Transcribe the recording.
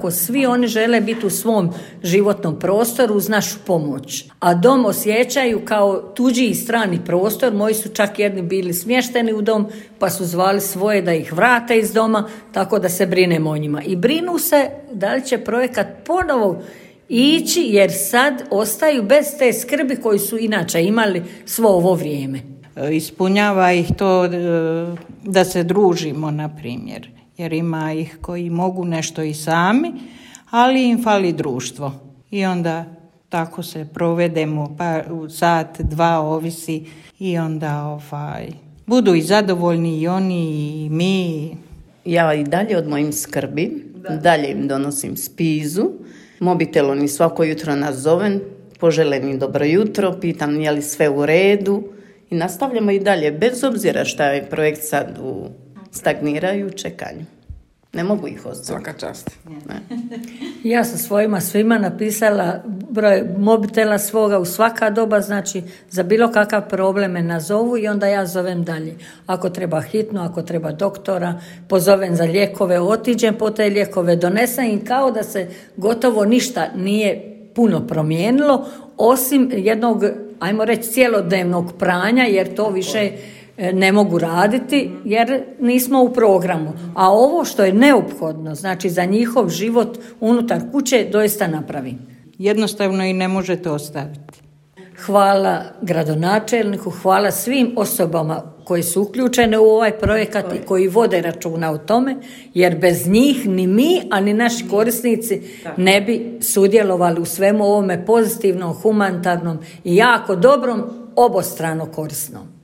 Ako svi oni žele biti u svom životnom prostoru uz našu pomoć, a dom osjećaju kao tuđi i strani prostor. Moji su čak jedni bili smješteni u dom, pa su zvali svoje da ih vrate iz doma, tako da se brinemo o njima. I brinu se da li će projekat ponovo ići, jer sad ostaju bez te skrbi koju su inače imali svo ovo vrijeme. Ispunjava ih to da se družimo, na primjer. Jer ima ih koji mogu nešto i sami, ali im fali društvo. I onda tako se provedemo, pa sat, dva, ovisi, i onda budu i zadovoljni i oni i mi. Ja i dalje od mojim skrbi, dalje im donosim spizu, mobitelom i svako jutro nas zovem, poželim im dobro jutro, pitam je li sve u redu i nastavljamo i dalje, bez obzira šta je projekt sad u stagniraju čekanju. Ne mogu ih ostaviti. Svaka čast. Ja sam svojima svima napisala broj mobitela svoga u svaka doba, znači za bilo kakav problem me nazovu i onda ja zovem dalje. Ako treba hitno, ako treba doktora, pozovem za lijekove, otiđem po te lijekove, donesem im kao da se gotovo ništa nije puno promijenilo, osim jednog, ajmo reći, cjelodnevnog pranja, jer to više ne mogu raditi jer nismo u programu. A ovo što je neophodno, znači za njihov život unutar kuće, doista napravi. Jednostavno i ne možete ostaviti. Hvala gradonačelniku, hvala svim osobama koji su uključene u ovaj projekat i koji vode računa o tome, jer bez njih ni mi, a ni naši korisnici ne bi sudjelovali u svemu ovome pozitivnom, humanitarnom i jako dobrom, obostrano korisnom.